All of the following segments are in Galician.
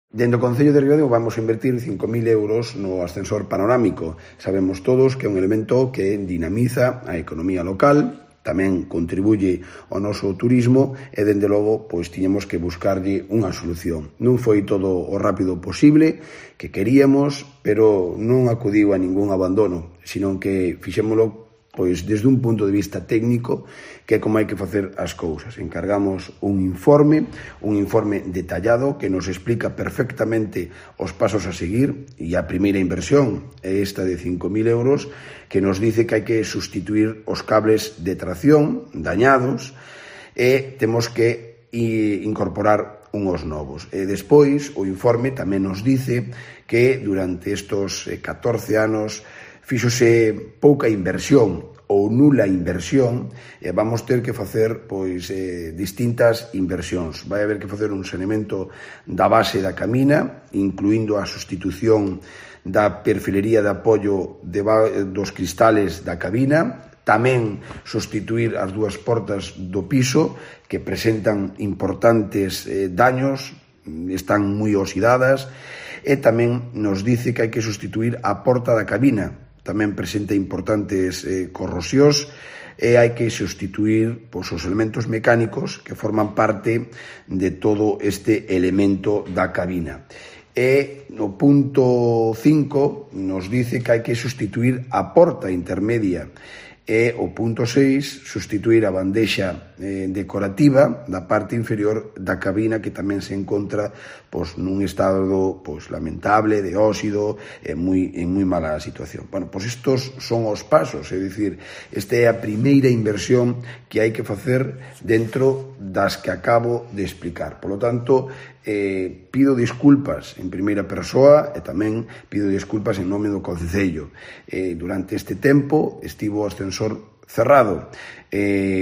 Dende o Concello de Ribadeo vamos a invertir 5.000 euros no ascensor panorámico. Sabemos todos que é un elemento que dinamiza a economía local, tamén contribuye ao noso turismo e, dende logo, pois tiñamos que buscarlle unha solución. Non foi todo o rápido posible que queríamos, pero non acudiu a ningún abandono, senón que fixémolo pois desde un punto de vista técnico, que é como hai que facer as cousas. Encargamos un informe detallado que nos explica perfectamente os pasos a seguir, e a primeira inversión é esta de 5.000 euros, que nos dice que hai que sustituir os cables de tracción dañados e temos que incorporar unhos novos. E despois, o informe tamén nos dice que durante estos 14 anos fíxose pouca inversión ou nula inversión e vamos ter que facer distintas inversións. Vai haber que facer un saneamento da base da cabina, incluindo a sustitución da perfilería de apoio dos cristales da cabina, tamén sustituir as dúas portas do piso que presentan importantes daños, están moi oxidadas, e tamén nos dice que hai que sustituir a porta da cabina, tamén presenta importantes corrosións, e hai que sustituir os elementos mecánicos que forman parte de todo este elemento da cabina. E no punto 5 nos dice que hai que sustituir a porta intermedia. E o punto 6, sustituir a bandexa decorativa da parte inferior da cabina, que tamén se encontra nun estado lamentable, de óxido, en moi mala situación. Estos son os pasos, é dicir, esta é a primeira inversión que hai que facer dentro das que acabo de explicar. Por lo tanto, pido disculpas en primeira persoa e tamén pido disculpas en nome do Concello. Durante este tempo estivo o ascensor cerrado.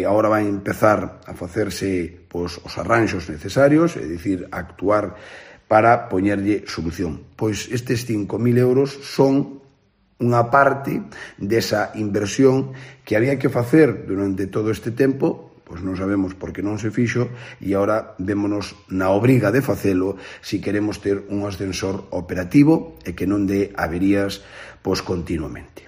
Agora vai empezar a facerse os arranxos necesarios, é dicir, actuar para poñerlle solución. Pois estes 5.000 euros son unha parte desa inversión que había que facer durante todo este tempo. Pois non sabemos por que non se fixo e agora vémonos na obriga de facelo se queremos ter un ascensor operativo e que non dé averías continuamente.